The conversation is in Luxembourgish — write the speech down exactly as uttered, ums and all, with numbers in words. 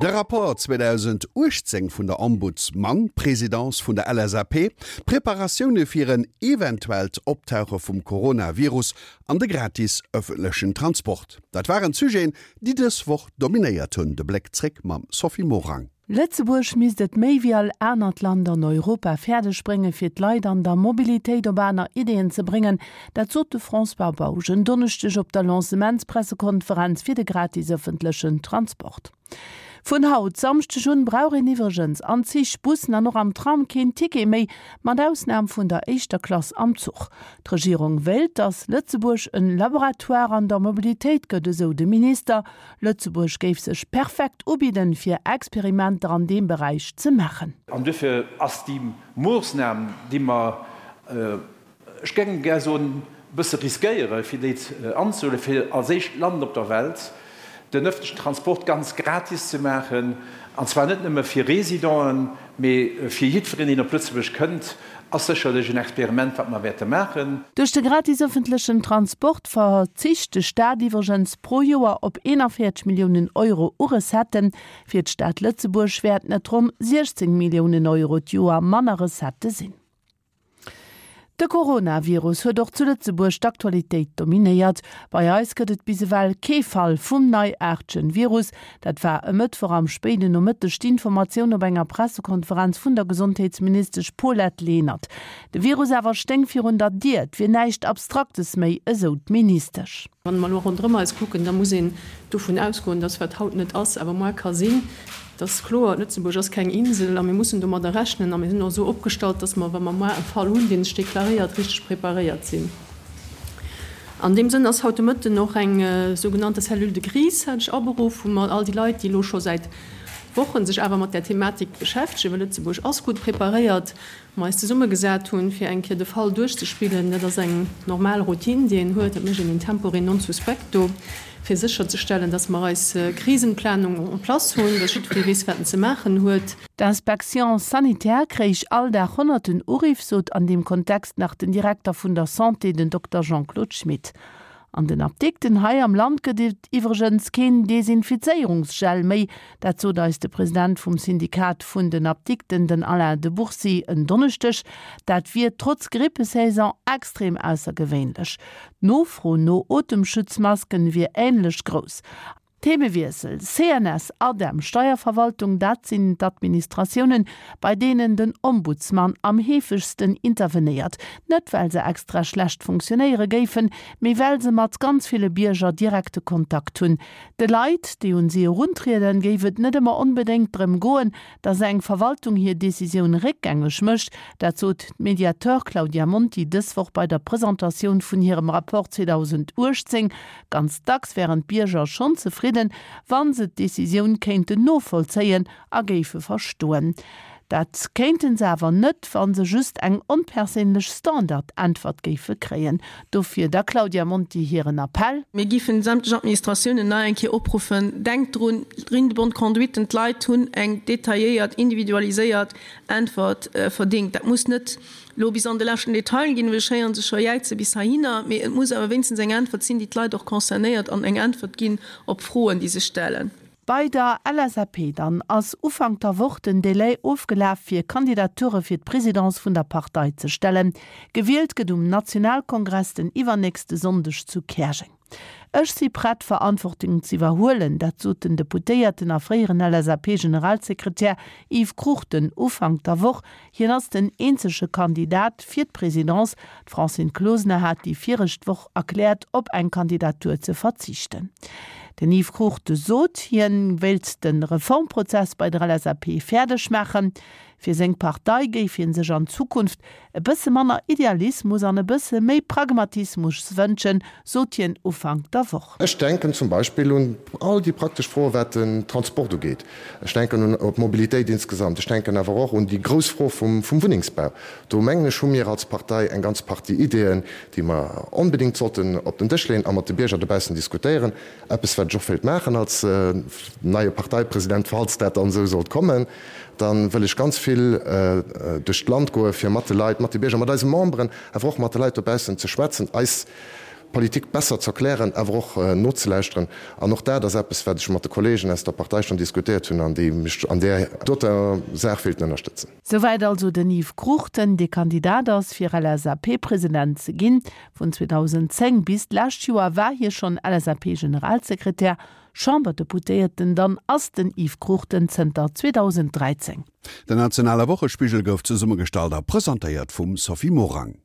De Rapport zweedausenduechtzéng vun der Ombudsman-Presidence vun der L S A P, d'Preparatioune fir en eventuellt Optauche vum Coronavirus an de gratis ëffentlechen Transport, dat waren d'Sujeten, déi dës Woch dominéiert hunn. De Bléck zréck mam Sophie Morang. Lëtzebuerg misst et méi wéi all anert Land an Europa fäerdeg bréngen, fir d'Leit an der Mobilitéit op aner Ideeën ze bréngen. Dat sot de François Bausch en Donneschdeg op der Lancementspressekonferenz fir de gratis ëffentlechen Transport. Vun haut Samschdeg un brauch een iwwregens an Zich, Bussen an och am Tram keen Ticket méi, mat Ausnam vun der éischter Klass am Zuch. D'Regierung wéilt, datt Lëtzebuerg en Laboratoire an der Mobilitéit gëtt, esou de Minister. Lëtzebuerg géif sech perfekt ubidden, fir Experimenter an deem Beräich ze maachen. An duerfir ass déi Moossnam, déi mer, ech géing gär soen, e bësse riskéieren, fir déi anzehuelen, fir als éischt Land op der Welt den ëffentlechen Transport ganz gratis ze maachen, an zwar net nëmme fir Residenten, mee fir jiddwereen, deen op Lëtzebuerg kënnt, ass sécherlech en Experiment, wat mer wäerte maachen. Duerch de gratis ëffentlechen Transport verzicht de Staat iwwregens pro Joer op eenanvéierzeg Milliounen Euro u Recetten. Fir d'Stad Lëtzebuerg wäerten et ronn siechzéng Milliounen Euro d'Joer manner Recettë sinn. De Coronavirus huet och zu Lëtzebuerg d'Aktualitéit dominéiert. Bei eis gëtt et bis ewell kee Fall vum neiaartegen Virus. Dat war e Mëttwoch am spéiden Nomëtteg d'Informatioun op enger Pressekonferenz vun der Gesondheetsministesch Paulette Lenert. De Virus awer stéing virun der Dier, et wier näischt Abstraktes méi, esou d'Ministesch. Wann mer elo ronderëm eis kucken, da muss een dovun ausgoen, dass wat haut net ass, awer muer ka sinn. Et ass kloer, Lëtzebuerg ass keng Insel a mir mussen domadder rechnen a mir sinn och esou opgestallt, dass mer, wa mer muer e Fall hunn, dee sech deklaréiert, richteg preparéiert sinn. An deem Sënn ass haut de Mëtten och eng sougenannte Cellule de crise hat ech aberuff, wou mer all déi Leit, déi elo scho säit Wochen sech awer mat där Thematik beschäftegen, well Lëtzebuerg ass gutt preparéiert, mer eis zesummegesat hunn, fir eng Kéier de Fall duerchzespillen. Dat ass eng normal Routine, déi een huet. Dat mécht een in tempore non suspecto, fir sécherzestellen, dass mer eis Krisenplanung en place hunn, dass jiddweree weess, wat en ze maachen huet. D'Inspection sanitaire kréich all Dag honnerten Uriff, sot an deem Kontext nach den Direkter vun der Santé, den Dokter Jean-Claude Schmit. An den Apdikten hei am Land gëtt et iwwregens keen Desinfizéierungsgel méi. Dat sot eis de President vum Syndikat vun den Apdikten, den Alain de Bourcy, en Donneschdeg. Dat wier trotz Grippesaison extrem aussergewéinlech. D'Nofro no Otemschutzmasken wier änlech grouss. Themewiessel, C N S, ADEM, Steierverwaltung, dat sinn d'Administratiounen, bei deenen den Ombudsman am heefegsten intervenéiert. Net well se extra schlecht funktionéiere géifen, mee well se mat ganz ville Bierger direkte Kontakt hunn. De Leit, déi un si eruntrieden, géif et net ëmmer onbedéngt drëm goen, datt eng Verwaltung hir Decisioun réckgängeg mécht. Dat sot d'Mediateur Claudia Monti dës Woch bei der Presentatioun vun hirem Rapport zweedausenduechtzéng. Ganz dacks wären d'Bierger schonn zefridden, wa se d'Decisioun kéinten novollzéien a géife verstoen. Dat kéinten se awer net, wa se just eng onperséinlech Standardäntwert géife kréien. Dofir der Claudia Monti hiren Appell. Mir géifen sämtlech Administratiounen nach eng Kéier opruffen, denkt drun, Ligne de bonne conduite, d'Leit hunn eng detailléiert, individualiséiert Äntwert verdéngt. Dat muss net lo bis an de leschten Detail ginn, well ech héieren se scho jäize bis heihinner, mee et muss awer wéinstens eng Äntwert sinn, déi d'Leit och concernéiert an eng Äntwert ginn op Froen, déi se stellen. Bei der L S A P dann ass Ufank der Woch den Delai ofgelaf fir Kandidature fir d'Presidence vun der Partei ze stellen. Gewielt gëtt um Nationalkongress den iwwernächste Sonndeg zu Käerjeng. Ech si prett Verantwortung ze iwwerhuelen, dat sot den Deputéierten a fréieren L S A P-Generalsekretär Yves Cruchten Ufank der Woch. Hien ass den eenzege Kandidat fir d'Presidence. D'Francine Closener hat déi viregt Woch erkläert, op eng Kandidatur ze verzichten. Den Yves Cruchten sot, hien wéilt de Reformprozess bei der L S A P fäerdeg maachen. Fir seng Partei géif hien sech an Zukunft e bësse manner Idealismus an e bësse méi Pragmatismus wënschen, sot hien Ufank der Woch. Ech denken zum Beispill un all déi praktesch Froen, wat den Transport ugeet. Ech denken un op d'Mobilitéit insgesamt. Ech denken awer och un déi grouss Fro vum, vum Wunnengsbau. Do mengen ech, hu mir als Partei eng ganz Partie Ideeën, déi mer onbedéngt sollten op den Dësch leeën a mat de Bierger dobaussen diskutéieren. Eppes, wat ech och wéilt maachen als neie Parteipresident, falls dat dann esou sollt kommen, da wëll ech ganz vill duerch d'Land goen, fir mat de Leit, mat de Bierger, mat eise Memberen, awer och mat de Leit dobaussen ze schwätzen, eis d'Politik besser z'erklären, awer och nozelauschteren. An och dat ass eppes, wat ech mat de Kolleegen aus der Partei schonn diskutéiert hunn an déi mech an där doter Saach wéilten ënnerstëtzen. Souwäit also den Yves Cruchten, dee Kandidat ass, fir LSAP-President ze ginn. Vun zweedausendzéng bis d'lescht Joer war hie schonn LSAP-Generalsekretär. Chamberdeputéierten dann ass den Yves Cruchten zënter zweedausenddräizéng. Den nationale Wochespigel gouf zesummegestallt a presentéiert vum Sophie Morang.